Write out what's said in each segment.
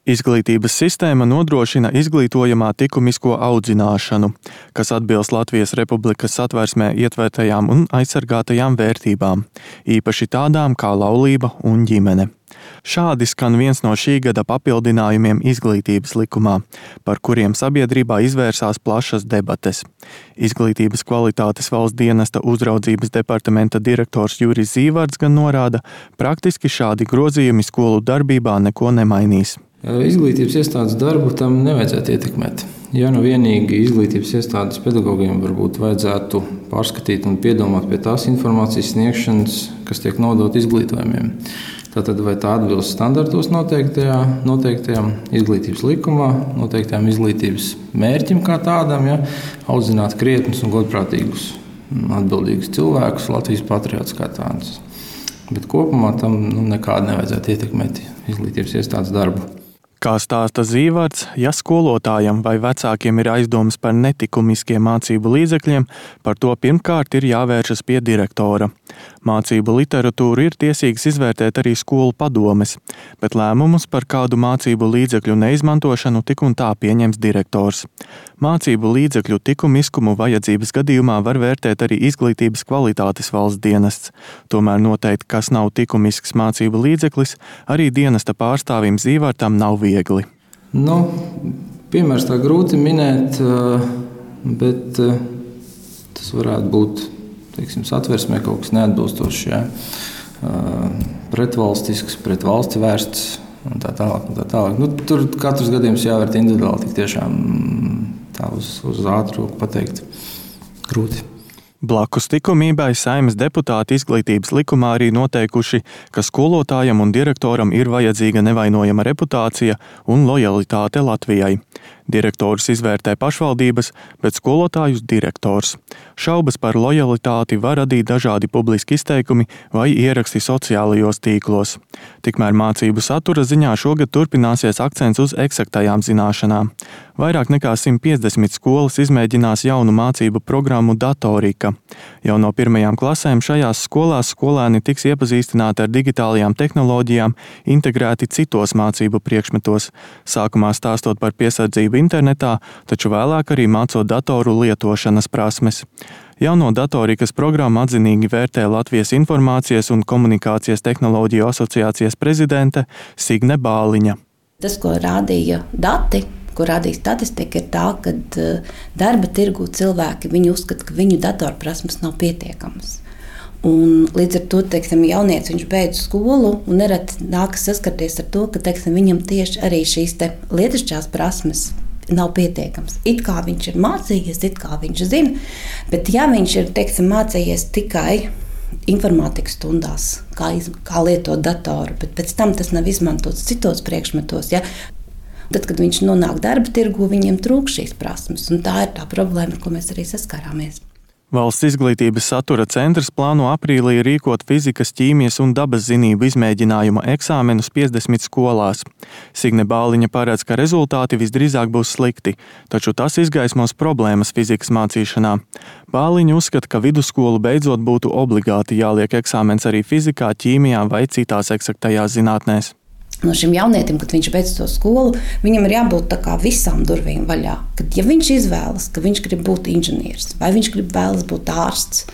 Izglītības sistēma nodrošina izglītojamā likumisko audzināšanu, kas atbilst Latvijas Republikas Satversmē ietvertajām un aizsargātajām vērtībām, īpaši tādām kā laulība un ģimene. Šādi skan viens no šī gada papildinājumiem izglītības likumā, par kuriem sabiedrībā izvērsās plašas debates. Izglītības kvalitātes valsts dienesta uzraudzības departamenta direktors Juris Zīvards gan norāda, praktiski šādi grozījumi skolu darbībā neko nemainīs. Izglītības iestādes darbu tam nevajadzētu ietekmēt. Ja nu vienīgi izglītības iestādes pedagogiem varbūt vajadzētu pārskatīt un piedomāt pie tās informācijas sniegšanas, kas tiek nodota izglītojumiem. Tātad vai tā atbilst standartos noteiktajām izglītības likumā, noteiktajām izglītības mērķim kā tādam, audzināt krietnus un godprātīgus, atbildīgus cilvēkus, Latvijas patriotus kā tādus. Bet kopumā tam nekādi nevajadzētu ietekmēt izglītības iestādes darbu. Kā stāsta Zīvards, ja skolotājam vai vecākiem ir aizdomas par netikumiskiem mācību līdzekļiem, par to pirmkārt ir jāvēršas pie direktora. Mācību literatūru ir tiesīgs izvērtēt arī skolu padomes, bet lēmumus par kādu mācību līdzekļu neizmantošanu tik un tā pieņems direktors. Mācību līdzekļu likumiskumu vajadzības gadījumā var vērtēt arī izglītības kvalitātes valsts dienests. Tomēr noteikt, kas nav likumisks mācību līdzeklis, arī dienesta pārstāvim Zīvardam nav viegli. Piemērs tā grūti minēt, bet tas varētu būt Satversmē kaut kas neatbilstošs, pretvalstisks, pret valsti vērsts un tā tālāk. Tur katrs gadījums jāvērt individuāli, tik tiešām tā uz ātru pateikt grūti. Blakus likumībai Saeimas deputāti izglītības likumā arī noteikuši, ka skolotājam un direktoram ir vajadzīga nevainojama reputācija un lojalitāte Latvijai. Direktorus izvērtē pašvaldības, bet skolotājus direktors. Šaubas par lojalitāti var radīt dažādi publiski izteikumi vai ieraksti sociālajos tīklos. Tikmēr mācību satura ziņā šogad turpināsies akcents uz eksaktajām zināšanām. Vairāk nekā 150 skolas izmēģinās jaunu mācību programmu Datorika. Jau no pirmajām klasēm šajās skolās skolēni tiks iepazīstināti ar digitālajām tehnoloģijām, integrēti citos mācību priekšmetos, sākumā stāstot par piesardzību internetā, taču vēlāk arī mācot datoru lietošanas prasmes. Jauno datorikas programmu atzinīgi vērtē Latvijas Informācijas un komunikācijas tehnoloģiju asociācijas prezidente Signe Bāliņa. Tas, ko rādīja dati, ko rādīja statistika, ir tā, ka darba tirgū cilvēki uzskata, ka viņu datorprasmes nav pietiekamas. Un līdz ar to, jaunieci viņš beidz skolu un nereti nākas saskarties ar to, ka viņam tieši arī šīs lietišķās prasmes nav pietiekams. It kā viņš ir mācījies, it kā viņš zina, bet ja viņš ir mācījies tikai informātikas stundās, kā lietot datoru, bet pēc tam tas nav izmantots citos priekšmetos, tad, kad viņš nonāk darba tirgu, viņiem trūkst šīs prasmes, un tā ir tā problēma, ar ko mēs arī saskarāmies. Valsts izglītības satura centrs plāno aprīlī rīkot fizikas, ķīmijas un dabas zinību izmēģinājuma eksāmenus 50 skolās. Signe Bāliņa paredz, ka rezultāti visdrīzāk būs slikti, taču tas izgaismos problēmas fizikas mācīšanā. Bāliņa uzskata, ka vidusskolu beidzot būtu obligāti jāliek eksāmens arī fizikā, ķīmijā vai citās eksaktajās zinātnēs. No šim jaunietim, kad viņš beidz to skolu, viņam ir jābūt tā kā visām durvīm vaļā. Kad ja viņš izvēlas, ka viņš grib būt inženieris, vai viņš vēlas būt ārsts,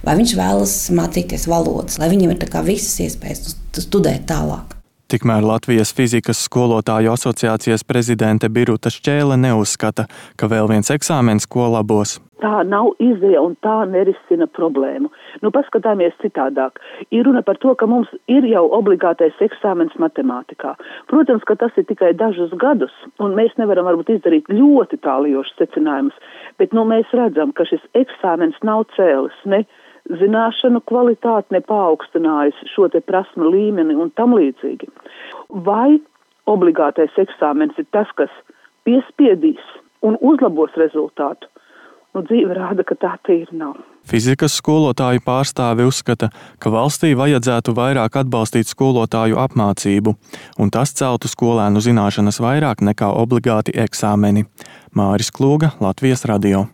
vai viņš vēlas mācīties valodas, lai viņam ir tā kā visas iespējas studēt tālāk. Tikmēr Latvijas fizikas skolotāju asociācijas prezidente Biruta Šķēle neuzskata, ka vēl viens eksāmens ko labos. Tā nav izeja un tā nerisina problēmu. Paskatāmies citādāk. Ir runa par to, ka mums ir jau obligātais eksāmens matemātikā. Protams, ka tas ir tikai dažus gadus, un mēs nevaram varbūt izdarīt ļoti tālijošus secinājumus, bet mēs redzam, ka šis eksāmens nav cēlis ne zināšanu kvalitāti, ne paaugstinājis šo prasmu līmeni un tam līdzīgi. Vai obligātais eksāmens ir tas, kas piespiedīs un uzlabos rezultātu? Dzīve rāda, ka tā tīri nav. Fizikas skolotāju pārstāvi uzskata, ka valstī vajadzētu vairāk atbalstīt skolotāju apmācību, un tas celtu skolēnu zināšanas vairāk nekā obligāti eksāmeni. Māris Klūga, Latvijas radio.